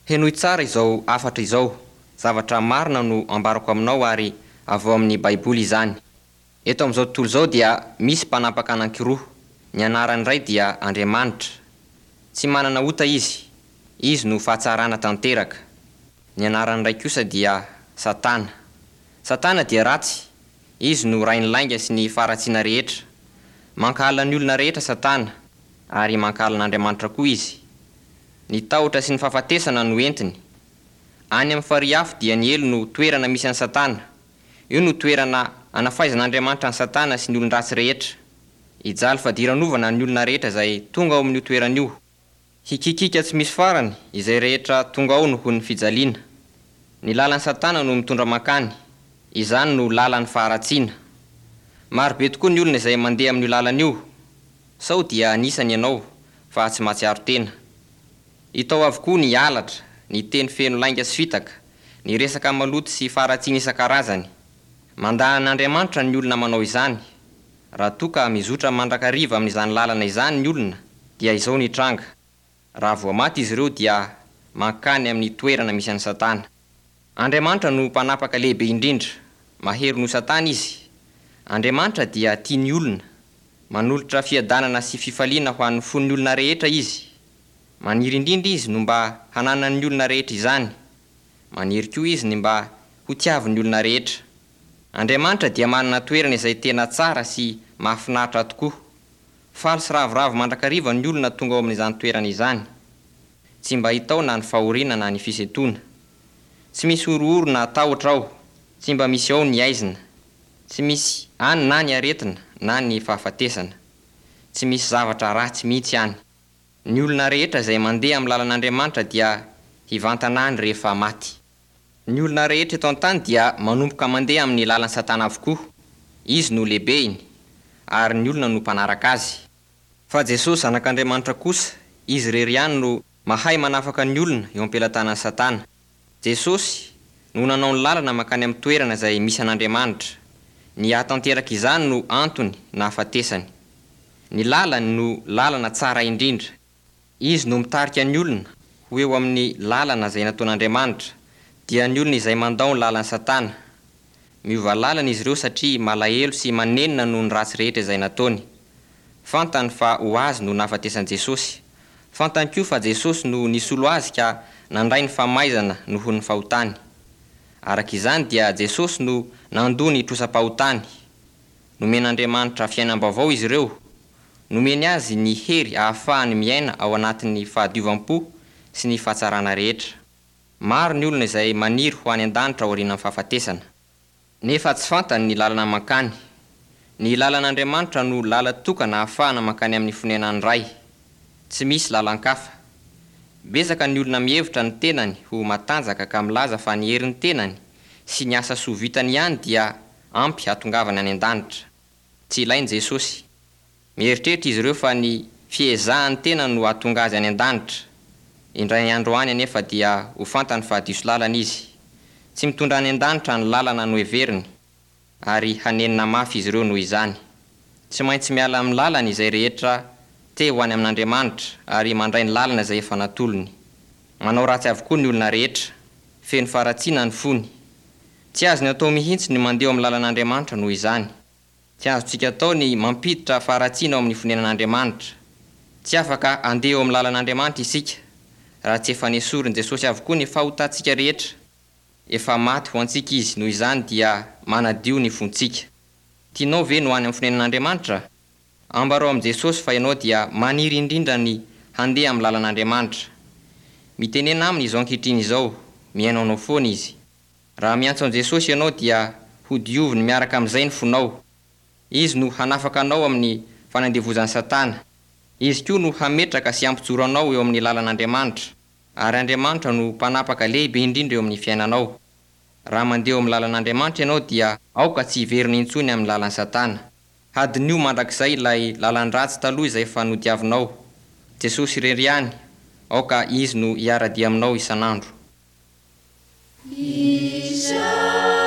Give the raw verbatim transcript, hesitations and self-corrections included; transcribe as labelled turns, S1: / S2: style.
S1: Henoy tsara izao hafatra izao. Zavatra marina no ambarako aminao ary avy ao amin'ny Baiboly izany. Eto amin'izao tontolo izao dia misy mpanapaka anankiroa. Ny anaran'ny iray dia Andriamanitra. Tsy manana ota izy. Izy no fahatsarana tanteraka. Ny anaran'ny iray kosa dia Satana. Satana dia ratsy. Izy no rain'ny lainga sy ny faharatsiana rehetra. Mankahala ny olona rehetra Satana ary mankahala an'Andriamanitra koa izy. Ny tahotra sy ny fahafatesana no entiny. Any amin'ny farihy afo dia ny helo no toerana misy an'i Satana. Io no toerana anafaizan'Andriamanitra an'i Satana sy ny olon-dratsy rehetra. Hijaly fadiranovana ny olona rehetra izay tonga ao amin'io toerana io. Hikikika tsy misy farany izay rehetra tonga ao noho ny fijaliana. Ny lalan'i Satana no mitondra mankany. Izany no lalan'ny faharatsiana. Marobe tokoa ny olona izay mandeha amin'io lalana io. Sao dia anisany ianao fa tsy mahatsiaro tena. Hita ao avokoa ny halatra, ny teny feno lainga sy fitaka, ny resaka maloto sy faharatsiana isan-karazany. Mandà an'Andriamanitra ny olona manao izany. Raha toa ka mizotra mandrakariva amin'izany lalana izany ny olona, dia izao ny tranga. Raha vao maty izy ireo dia mankany amin'ny toerana misy an'i Satana. Andriamanitra no mpanapaka lehibe indrindra. Mahery noho Satana izy. Andriamanitra dia tia ny olona. Manolotra fiadanana sy fifaliana ho an'ny fon'ny olona rehetra izy. Maniry indrindra izy no mba hananan'ny olona rehetra izany. Maniry koa izy ny mba ho tiavin'ny olona rehetra. Andriamanitra dia manana toerana izay tena tsara sy mahafinaritra tokoa. Faly sy ravoravo mandrakariva ny olona tonga ao amin'izany toerana izany. Tsy mba hita ao na ny fahoriana na ny fisentoana. Tsy misy horohoro na tahotra ao. Tsy mba misy ao ny aizina. Tsy misy any na ny aretina na ny fahafatesana. Tsy misy zavatra ratsy mihitsy any. Ny olona rehetra izay mandeha amin'ny lalan'Andriamanitra dia hivantana any rehefa maty. Ny olona rehetra eto an-tany dia manomboka mandeha amin'ny lalan'i Satana avokoa. Izy no lehibeny ary ny olona no mpanaraka azy. Fa Jesosy Zanak'Andriamanitra kosa, izy irery ihany no mahay manafaka ny olona eo am-pelatanan'i Satana. Jesosy no nanao ny lalana mankany amin'ny toerana izay misy an'Andriamanitra. Ny hahatanteraka izany no antony nahafatesany. Ny lalany no lalana tsara indrindra. Izy no mitarika ny olona ho eo amin'ny lalana izay nataon'Andriamanitra, dia ny olona izay mandao ny lalan'i Satana. Miova lalana izy ireo satria malahelo sy manenina noho ny ratsy rehetra izay nataony. Fantany fa ho azy no nahafatesan'i Jesosy. Fantany koa fa Jesosy no nisolo azy ka nandray ny famaizana noho ny fahotany. Araka izany dia Jesosy no nandoa ny trosam-pahotany. Nomen'Andriamanitra fiainam-baovao izy ireo. Nomeny azy ny hery ahafahany miaina ao anatin'ny fahadiovam-po sy ny fahatsarana rehetra. Maro ny olona izay maniry ho any an-danitra aorian'ny fahafatesana. Nefa tsy fantany ny lalana mankany. Ny lalan'Andriamanitra no lala tokana ahafahana mankany amin'ny fonenan'ny Ray. Tsy misy lalan-kafa. Betsaka ny olona mihevitra ny tenany ho matanjaka ka milaza fa ny herin'ny tenany sy ny asa soa vitany ihany dia ampy hahatongavany any an-danitra. Tsy ilainy Jesosy. Mieritreritra izy ireo fa ny fiezahan'ny tenany no hahatonga azy any an-danitra. Indray andro any anefa dia ho fantany fa diso lalana izy. Tsy mitondra any an-danitra ny lalana noheveriny ary hanenina mafy izy ireo noho izany. Tsy maintsy miala amin'ny lalany izay rehetra te ho any amin'Andriamanitra ary mandray ny lalana izay efa natolony. Manao ratsy avokoa ny olona rehetra. Feno faharatsiana ny fony. Tsy azony atao mihitsy ny mandeha ao amin'ny lalan'Andriamanitra noho izany. Tsy azontsika atao ny mampiditra faharatsiana ao amin'ny fonenan'Andriamanitra. Tsy afaka handeha eo amin'ny lalan'Andriamanitra isika raha tsy efa nesorin'i Jesosy avokoa ny fahotantsika rehetra. Efa maty ho antsika izy, noho izany dia manadio ny fontsika. Tianao ve no any amin'ny fonenan'Andriamanitra? Ambarao amin'i Jesosy fa ianao dia maniry indrindra ny handeha amin'ny lalan'Andriamanitra. Mitenena aminy izao ankehitriny izao, mihaino anao foana izy. Raha miantso an'i Jesosy ianao dia hodioviny miaraka amin'izay ny fonao. Izy no hanafaka anao amin'ny fanandevozan'i Satana. Izy koa no hametraka sy hampijoro anao eo amin'ny lalan'Andriamanitra. Ary Andriamanitra no mpanapaka lehibe indrindra eo amin'ny fiainanao. Raha mandeha eo amin'ny lalan'Andriamanitra ianao dia aoka tsy hiverina intsony amin'ny lalan'i Satana. Hadinio mandrakizay ilay lalan-dratsy taloha izay efa nodiavinao. Jesosy irery ihany, aoka izy no hiara-dia aminao isan'andro.
S2: Izaho